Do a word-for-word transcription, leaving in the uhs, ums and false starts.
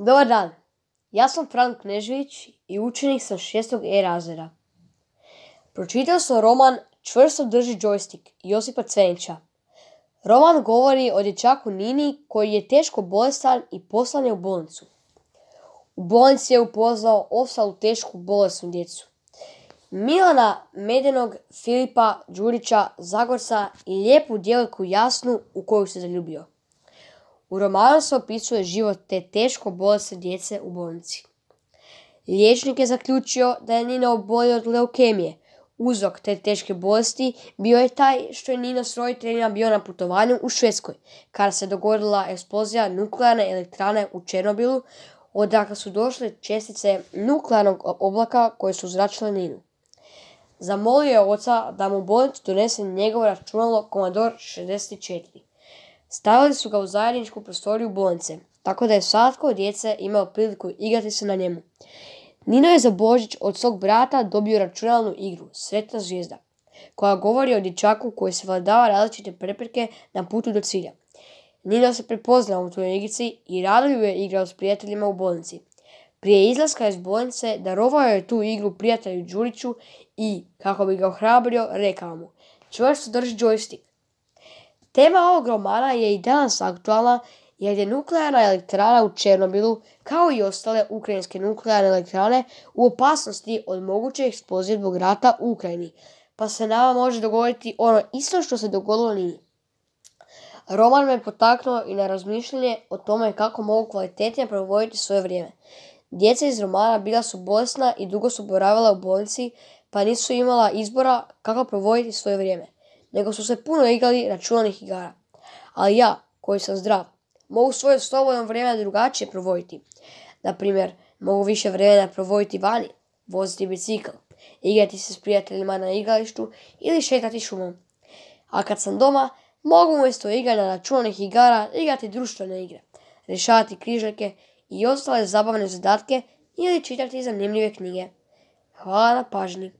Dobar dan, ja sam Frank Knežević i učenik sam šestog E razreda. Pročitao sam roman Čvrsto drži džojstik Josipa Cvenića. Roman govori o dječaku Nini koji je teško bolestan i poslan je u bolnicu. U bolnici je upoznao ostalu tešku bolesnu djecu. Milana, Medenog, Filipa, Đurića, Zagorca i lijepu djevojku Jasnu u koju se zaljubio. U romanu se opisuje život te teško bolesne djece u bolnici. Liječnik je zaključio da je Nina obolio od leukemije. Uzrok te teške bolesti bio je taj što je Nino s roditeljima bio na putovanju u Švedskoj, kada se dogodila eksplozija nuklearne elektrane u Černobilu, odakle su došle čestice nuklearnog oblaka koje su zračile Ninu. Zamolio je oca da mu u bolnicu donese njegovo računalo Commodore šezdeset četiri. Stavili su ga u zajedničku prostoriju bolnice, tako da je svatko od djece imao priliku igrati se na njemu. Nino je za Božić od svog brata dobio računalnu igru Sretna zvijezda, koja govori o dječaku koji se vladava različite prepreke na putu do cilja. Nino se prepoznao u toj igrici i rado ju je igrao s prijateljima u bolnici. Prije izlaska iz bolnice darovao je tu igru prijatelju Đuriću i, kako bi ga ohrabrio, rekao mu: čvrsto drži džojstik. Tema ovog romana je i danas aktualna jer je nuklearna elektrana u Černobilu, kao i ostale ukrajinske nuklearne elektrane, u opasnosti od moguće eksplozije zbog rata u Ukrajini, pa se nama može dogoditi ono isto što se dogodilo Nini. Roman me potaknuo i na razmišljanje o tome kako mogu kvalitetnije provoditi svoje vrijeme. Djeca iz romana bila su bolesna i dugo su boravila u bolnici, pa nisu imala izbora kako provoditi svoje vrijeme, nego su se puno igrali računalnih igara. Ali ja, koji sam zdrav, mogu svoje slobodno vrijeme drugačije provoditi. Naprimjer, mogu više vremena provoditi vani, voziti bicikl, igrati se s prijateljima na igralištu ili šetati šumom. A kad sam doma, mogu umjesto igranja računalnih igara igrati društvene igre, rješavati križaljke i ostale zabavne zadatke ili čitati zanimljive knjige. Hvala na pažnji.